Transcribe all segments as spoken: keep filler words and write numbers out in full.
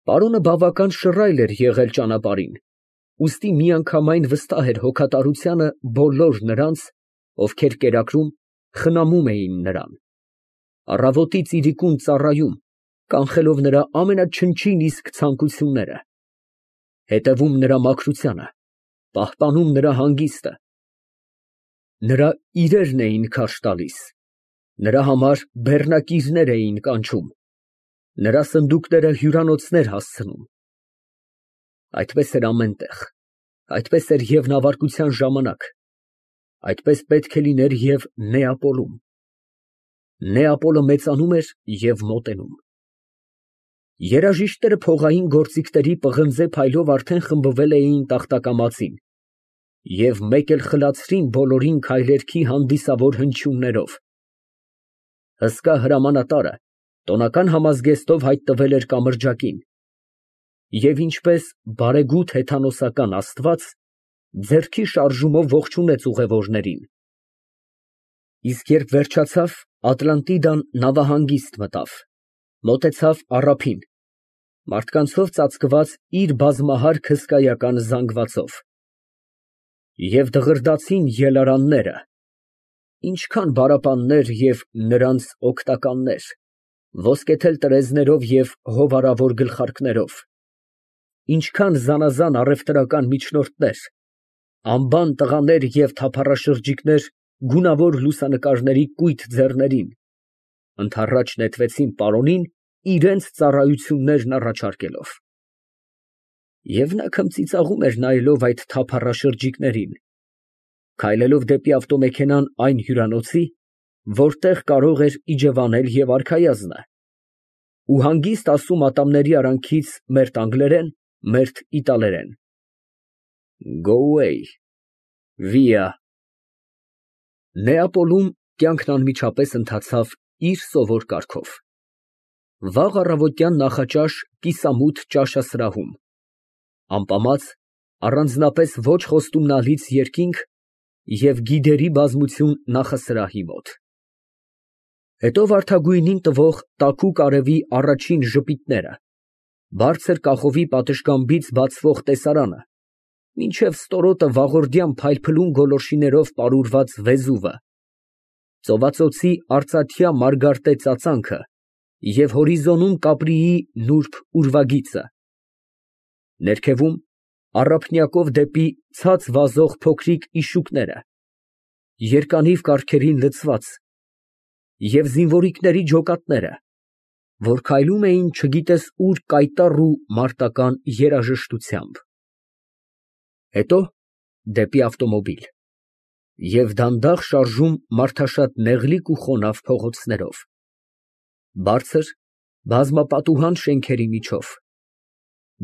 Պարոնը բավական շռայլ էր եղել ճանապարհին, ուստի միանգամայն վստահ էր հոգատարությանը բոլոր նրանց, ովքեր կերակրում, խնամում էին նրան, առավոտից իրիկուն ծառայում, կանխելով նրա ամենաչնչին իսկ ցանկությունները, հետևում նրա մաքրությանը, պահպանում նրա հանգիստը, նրա իրերն էին քարշ տալիս, նրա համար բեռնակիրներ էին կանչում, նրա սնդուկները հյուրանոցներ հասցնում։ Այդպես էր ամեն տեղ, այդպես էր և նավարկության ժամանակ, այդպես պետք է լիներ և Նեապոլում։ Նեապոլը մեծանում էր և մոտենում։ Երաժիշտները փողային գործիքների պղնձե փայլով արդեն խմբվել էին տախտակամածին և մեկ էլ խլացրին բոլորին քայլերքի հանդիսավոր հնչյուններով։ Հսկա հրամանատարը տոնական համազգեստով հայտնվել էր կամրջակին և ինչպես բարեգութ հեթանոսական աստված, ձեռքի շարժումով ողջունեց ուղևորներին։ Իսկ երբ վերջացավ, Ատլանտիդան նավահանգիստ մտավ, մոտեցավ առափին, մարդկանցով ծածկված իր բազմահարկ հսկայական զանգվածով։ Եվ դղրդացին ելարանները, ինչքան բարապաններ և նրանց օգտականներ, ոսկեթել տրեզներով և հովարավոր գլխարկներով, ինչքան զանազան առևտրական միջնորդներ, անբան տղաներ և թափառաշրջիկներ գունավոր լուսանկարների կույտ ձեռներին, ընդառաջ նետվեցին պարոնին իրենց ծառայություններն առաջարկելով։ Եվ նա քմծիծաղում էր նայելով այդ թափառաշրջիկներին, քայլելով դեպի ավտոմեքենան այն հյուրանոցի, որտեղ կարող էր իջևանել և արքայազնը, ու հանգիստ ասում ատամների արանքից մերթ անգլերեն, մերթ իտալերեն. «Go away, via»։ Նեապոլում կյանքն անմիջապես ընթացավ իր սովոր կարգով։ Վաղ առավոտյան նախաճաշ կիսամութ ճաշասրահում, ամպամած, առանձնապես ոչ խոստումնալից երկինք և գիդերի բազմություն նախասրահի մոտ։ Հետո վարդագույնին տվող տաքուկ արևի առաջին ժպիտները, բարձր կախովի պատշգամբից բացվող տեսարանը, մինչև ստորոտը վաղորդյան փայլփլուն գոլորշիներով պարուրված Վեզուվը, ծովածոցի արծաթյա մարգարտե ծածանքը և հորիզոնում Կապրիի նուրբ ուրվագիծը, ներքևում առափնյակով դեպի ցած վազող փոքրիկ իշուկները, երկանիվ կառքերին լցված, և զինվորիկների ջոկատները, որ քայլում էին չգիտես ուր կայտառ ու մարտական երաժշտությամբ։ Հետո դեպի ավտոմոբիլ և դանդաղ շարժում մարդաշատ նեղլիկ ու խոնավ փողոցներով, բարձր, բազմապատուհան շենքերի միջով,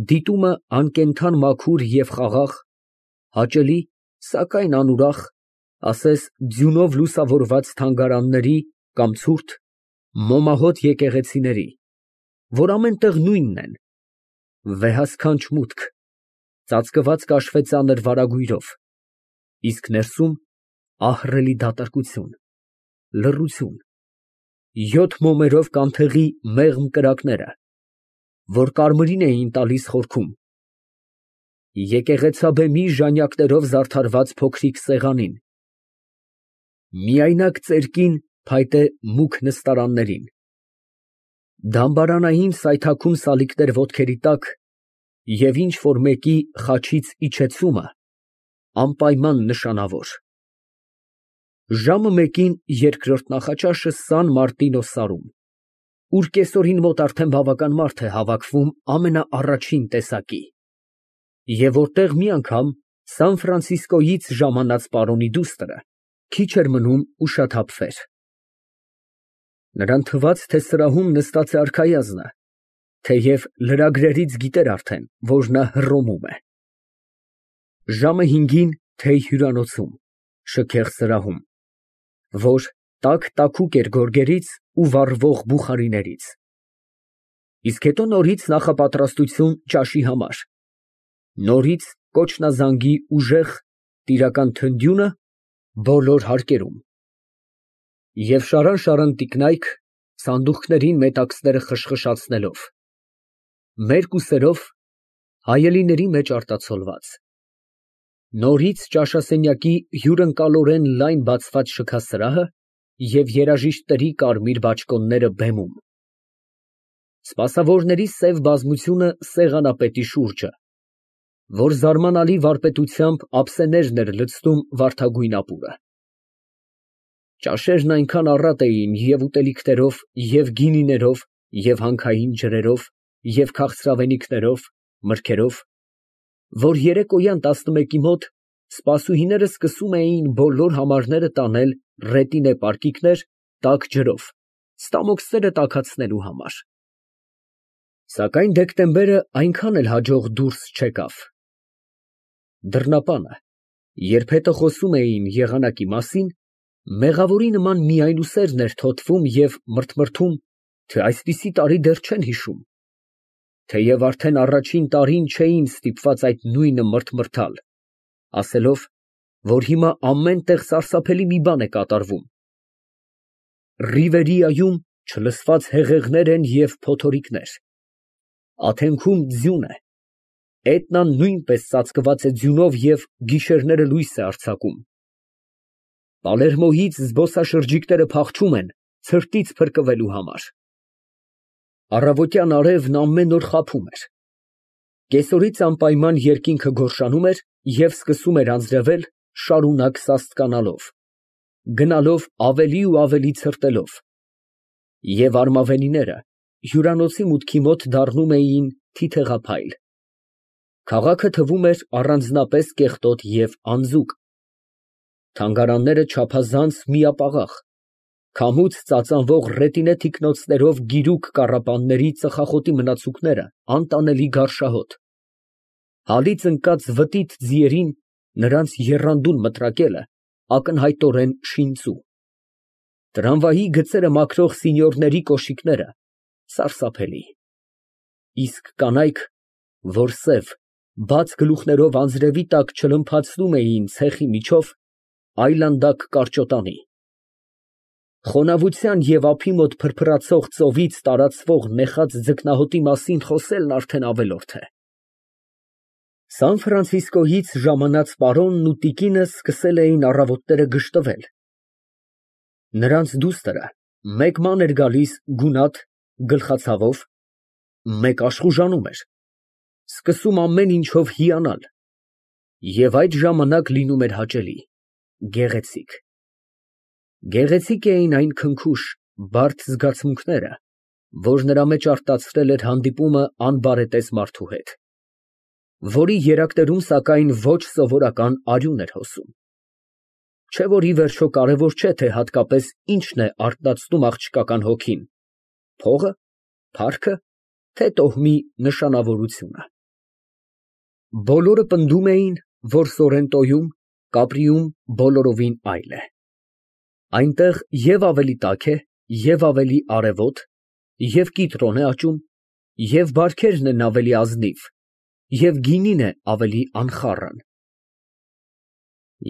դիտումը անկենդան մաքուր և խաղաղ, հաճելի, սակայն անուրախ, ասես ձյունով լուսավորված թանգարանների կամ ցուրտ, մոմահոտ եկեղեցիների, որ ամեն տեղ նույնն են, վեհասքանչ մուտք, ծածկված կաշվեծանր վարագույրով, իսկ ներսում ահռելի դատարկություն, լռություն, յոթ մոմերով կանթեղի մեղմ կրակները, որ կարմիրին էին տալիս խորքում, եկեղեցաբեմի ժանյակներով զարդարված փոքրիկ սեղանին, միայնակ ծերկին փայտե մուգ նստարաններին, դամբարանային սայթաքում սալիկներ ոտքերի տակ և ինչ֊որ մեկի խաչից իջեցումը անպայման նշանավոր։ Ժամը մեկին երկրորդ նախաճաշը Սան Մարտինո սարում, ուր կեսօրին մոտ արդեն բավական մարդ է հավաքվում ամենաառաջին տեսակի, և որտեղ մի անգամ Սան Ֆրանցիսկոյից ժամանած պարոնի դուստրը քիչ էր մնում ուշաթափվեր։ Նրան թվաց, թե սրահում նստած է արքայազնը, թեև լրագրերից գիտեր արդեն, որ նա Հռոմում է։ Ժամը հինգին թեյ հյուրանոցում, շքեղ սրահում, որ տաք֊տաքուկ էր գորգերից ու վառվող բուխարիներից, իսկ հետո նորից նախապատրաստություն ճաշի համար, նորից կոչնազանգի ուժեղ, տիրական թնդյունը բոլոր հարկերում, և շարան֊շարան տիկնայք, սանդուղքներին մետաքսները խշխշացնելով, մերկուսերով, հայելիների մեջ արտացոլված։ Նորից ճաշասենյակի հյուրընկալորեն լայն բացված շքասրահը և երաժիշտների կարմիր բաճկոնները բեմում։ Սպասավորների սև բազմությունը սեղանապետի շուրջը, որ զարմանալի վարպետությամբ ափսեներն էր լցնում վարդագույն ապուրը։ Ճաշերն այնքան առատ էին և ուտելիքներով, և գինիներով, և հանքային ջրերով, և քաղցրավենիքներով, մրգերով, որ երեկոյան տասնմեկի մոտ սպասուհիները սկսում էին բոլոր համարները տանել ռետինե պարկիկներ տաք ջրով, ստամոքսները տաքացնելու համար։ Սակայն դեկտեմբերը այնքան էլ հաջող դուրս չեկավ։ Դռնապանը, երբ հետը խոսում էին եղանակի մասին, մեղավորի նման միայնուսերն էր թոթվում և մրթմրթում, թե այսպիսի տարի դեռ չեն հիշում, թեև արդեն առաջին տարին չէին ստիպված այդ նույնը մրթմրթալ, ասելով, որ հիմա ամեն տեղ սարսափելի մի բան է կատարվում. Ռիվերիայում չլսված հեղեղներ են և փոթորիկներ, Աթենքում ձյուն է, Էտնան նույնպես ծածկված է ձյունով և գիշերները լույս է արձակում, Պալերմոյից զբոսաշրջիկները փախչում են ցրտից փրկվելու համար։ Առավոտյան արևն ամեն օր խաբում էր, կեսօրից անպայման երկինքը գորշանում էր և սկսում էր անձրևել շարունակ սաստկանալով, գնալով ավելի ու ավելի ցրտելով, և արմավենիները հյուրանոցի մուտքի մոտ դառնում էին թիթեղափայլ, քաղաքը թվում էր առանձնապես կեղտոտ և անձուկ, թանգարանները չափազանց միապաղաղ, քամուց ծածանվող ռետինե թիկնոցներով գիրուկ կառապանների ծխախոտի մնացուկները անտանելի գարշահոտ, հալից ընկած վտիտ ձիերին նրանց եռանդուն մտրակելը ակնհայտորեն շինծու, տրամվայի գծերը մաքրող սինյորների կոշիկները սարսափելի, իսկ կանայք, որ սև, բաց գլուխներով անձրևի տակ չլմփացնում էին ցեխի միջով, այլանդակ կարճոտանի, խոնավության և ափի մոտ փրփրացող ծովից տարածվող նեխած ձկնահոտի մասին խոսելն արդեն ավելորդ է։ Սան֊Ֆրանցիսկոյից ժամանած պարոնն ու տիկինը սկսել էին առավոտները գժտվել, նրանց դուստրը մեկ ման էր գալիս գունատ, գլխացավով, մեկ աշխուժանում էր, սկսում ամեն ինչով հիանալ, և այդ ժամանակ լինում էր հաճելի, գեղեցիկ։ Գեղեցիկ էին այն քնքուշ, բարդ զգացմունքները, որ նրա մեջ արտացրել էր հանդիպումը անբարետես մարդու հետ, որի երակներում, սակայն, ոչ սովորական արյուն էր հոսում, չէ՞ որ ի վերջո կարևոր չէ, թե հատկապես ինչն է արթնացնում աղջկական հոգին, փողը, փառքը, թե տոհմի նշանավորությունը։ Բոլորը պնդում էին, որ Սորենտոյում, Կապրիում բոլորովին այլ է, այնտեղ և ավելի տաք է, և ավելի արևոտ, և կիտրոն է աճում, և բարքերն են ավելի ազնիվ, և գինին է ավելի անխառն։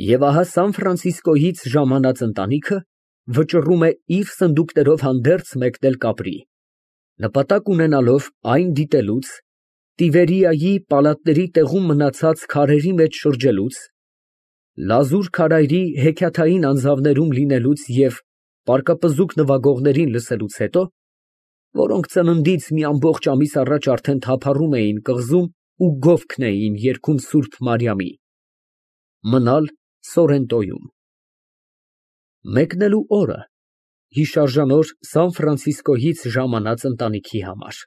Եվ ահա Սան֊Ֆրանցիսկոյից ժամանած ընտանիքը վճռում է իր սնդուկներով հանդերձ մեկնել Կապրի, նպատակ ունենալով այն դիտելուց, Տիբերիայի պալատների տեղում մնացած քարերի մեջ շրջելուց, լազուր քարայրի հեքիաթային անձավներում լինելուց և պարկապզուկ նվագողներին լսելուց հետո, որոնք ծննդից մի ամբողջ ամիս առաջ արդեն թափառում էին կղզում ու գովքն էին երգում Սուրբ Մարիամի, մնալ Սորենտոյում։ Մեկնելու օրը հիշարժանոր Սան֊Ֆրանցիսկոյից ժամանած ընտանիքի համար։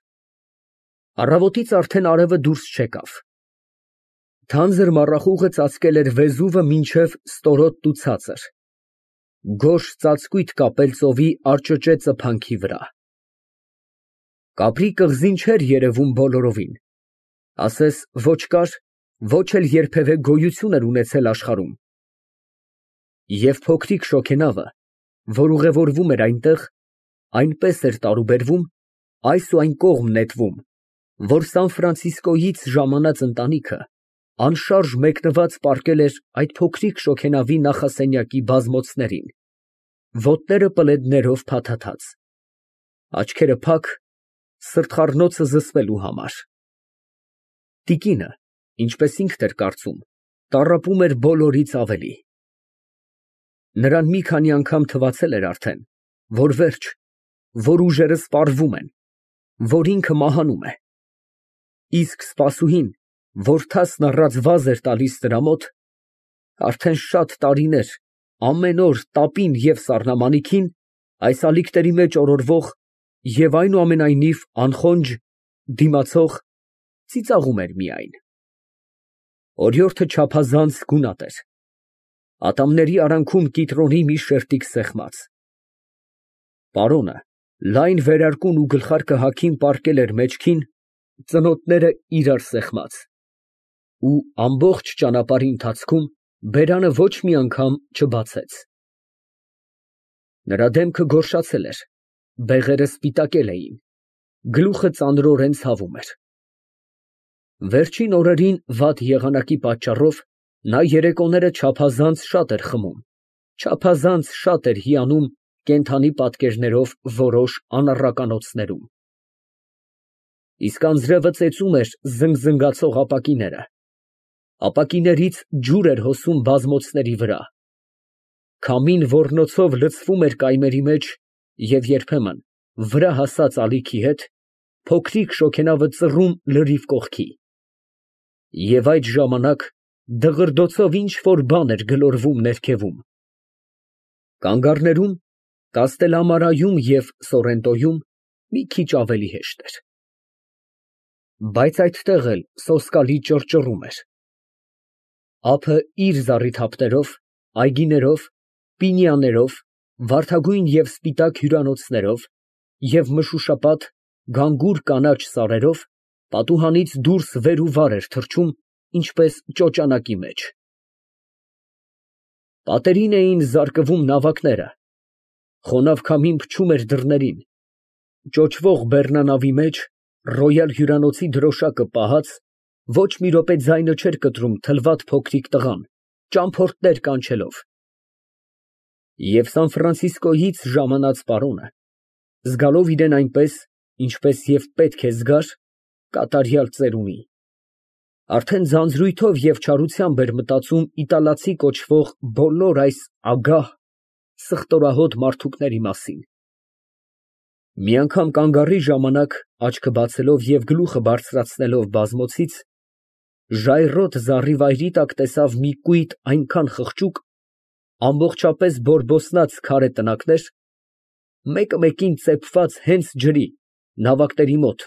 Առավոտից արդեն արևը դուրս չեկավ, թանձր մառախուղը ծածկել էր Վեզուվը մինչև ստորոտն ու ցածր, գորշ ծածկույթ կապել ծովի արջճե ծփանքի վրա։ Կապրի կղզին չէր երևում բոլորովին, ասես ոչ կար, ոչ էլ երբևէ գոյություն էր ունեցել աշխարհում, և փոքրիկ շոգենավը, որ ուղևորվում էր այնտեղ, այնպես էր տարուբերվում, այս ու այն կողմ նետվում, որ Սան֊Ֆրանցիսկոյից ժամանած ընտանիքը անշարժ մեկնված պառկել էր այդ փոքրիկ շոգենավի նախասենյակի բազմոցներին, ոտները պլեդներով փաթաթած, աչքերը փակ, սրտխառնոցը զսպելու համար։ Տիկինը, ինչպես ինքն էր կարծում, տառապում էր բոլորից ավելի. նրան մի քանի անգամ թվացել էր արդեն, որ վերջ, որ ուժերը սպառվում են, որ ինքը մահանում է, իսկ սպասուհին, որթասն առած վազ էր տալիս նրա մոտ, արդեն շատ տարիներ ամեն օր տապին և սառնամանիքին այս ալիքների մեջ օրորվող և այնուամենայնիվ անխոնջ, դիմացող, ծիծաղում էր միայն։ Օրիորդը չափազանց գունատ էր, ատամների արանքում կիտրոնի մի շերտիկ սեղմած։ Պարոնը լայն վերարկուն ու գլխարկը հագին պառկել էր մեջքին, ծնոտները իրար սեղմած, ու ամբողջ ճանապարհի ընթացքում բերանը ոչ մի անգամ չբացեց։ Նրա դեմքը գորշացել էր, բեղերը սպիտակել էին, գլուխը ծանրորեն ցավում էր։ Վերջին օրերին վատ եղանակի պատճառով նա երեկոները չափազանց շատ էր խմում, չափազանց շատ էր հիանում կենդանի պատկերներով որոշ անառականոցներում։ Իսկ անձրևը ծեծում էր զնգզնգացող ապակիները, ապակիներից ջուր էր հոսում բազմոցների վրա, քամին ոռնոցով լցվում էր կայմերի մեջ և երբեմն, վրա հասած ալիքի հետ, փոքրիկ շոգենավը ծռում լրիվ կողքի, և այդ ժամանակ դղրդոցով ինչ֊որ բան էր գլորվում ներքևում։ Կանգառներում, Կաստելամարայում և Սորենտոյում մի քիչ ավելի հեշտ էր։ Բայց այդտեղ էլ սոսկալի ճռճռում էր։ Ափը իր զառիթափներով, այգիներով, պինիաներով, վարդագույն և սպիտակ հյուրանոցներով և մշուշապատ, գանգուր կանաչ սարերով պատուհանից դուրս վեր ու վար էր թռչում, ինչպես ճոճանակի մեջ։ Պատերին էին զարկվում նավակները, խոնավ քամին փչում էր դռներին, ճոճվող բեռնանավի մեջ, ռոյալ հյուրանոցի դրոշակը պահած, ոչ մի րոպե ձայնը չէր կտրում թլվատ փոքրիկ տղան, ճամփորդներ կանչելով։ Եվ Սան֊Ֆրանցիսկոյից ժամանած պարոնը, զգալով իրան այնպես, ինչպես և պետք է զգար, կատարյալ ծերունի, արդեն ձանձրույթով և չարությամբ էր մտածում իտալացի կոչվող բոլոր այս ագահ, սխտորահոտ մարդուկների մասին։ Մի անգամ կանգառի ժամանակ, աչքը բացելով և գլուխը բարձրացնելով բազմոցից, ժայռոտ զառիվայրի տակ տեսավ մի կույտ այնքան խղճուկ, ամբողջապես բորբոսնած քարե տնակներ, մեկը մեկին ծեփված հենց ջրի, նավակների մոտ,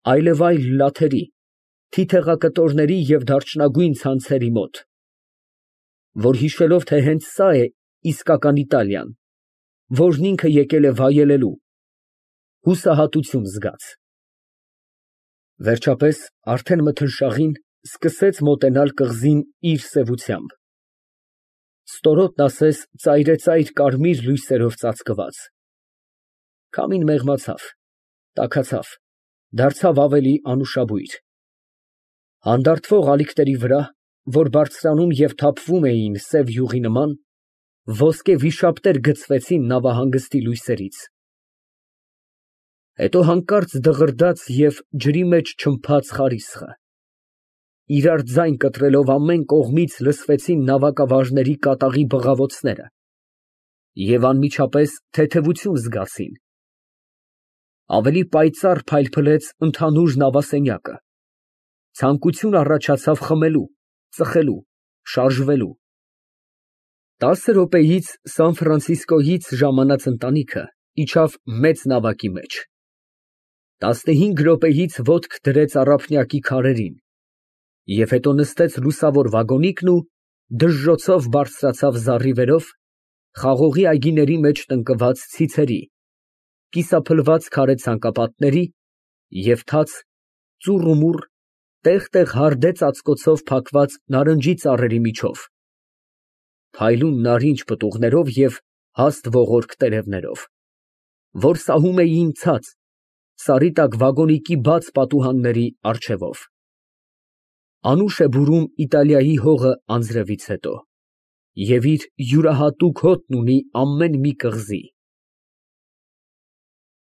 այլևայլ լաթերի, թիթեղակտորների և դարչնագույն ցանցերի մոտ, որ հիշելով, թե հենց սա է իսկական Իտալիան, որն ինքը եկել է վայելելու, հուսահատություն զգաց։ Վերջապես, արդեն մթնշաղին, սկսեց մոտենալ կղզին իր սևությամբ, ստորոտն ասես ծայրեծայր կարմիր լույսերով ծածկված։ Քամին մեղմացավ, տաքացավ, դարձավ ավելի անուշաբույր։ Հանդարտվող ալիքների վրա, որ բարձրանում և թափվում էին սև յուղի նման, ոսկե վիշապներ գծվեցին նավահանգստի լույսերից։ Հետո հանկարծ դղրդաց և ջրի մեջ չմփաց խարիսխը, իրար ձայն կտրելով ամեն կողմից լսվեցին նավակավարժների կատաղի բղավոցները, և անմիջապես թեթևություն զգացին։ Ավելի պայծառ փայլփլեց ընդհանուր նավասենյակը, ցանկություն առաջացավ խմելու, ծխելու, շարժվելու։ Տասը րոպեից Սան֊Ֆրանցիսկոյից ժամանած ընտանիքը իջավ մեծ նավակի մեջ, տասնհինգ րոպեից ոտք դրեց առափնյակի քարերին և հետո նստեց լուսավոր վագոնիկն ու դժժոցով բարձրացավ զառիվերով խաղողի այգիների մեջ տնկված ցիցերի, կիսափլված քարե ցանկապատների և թաց, ծուռ ու մուռ, տեղ֊տեղ հարդե ծածկոցով փակված նարնջի ծառերի միջով, փայլուն նարինջ պտուղներով և հաստ ողորկ տերևներով, որ սահում էին ցած, սարի տակ վագոնիկի բաց պատուհանների առջևով։ Անուշ է բուրում Իտալիայի հողը անձրևից հետո, և իր յուրահատուկ հոտն ունի ամեն մի կղզի։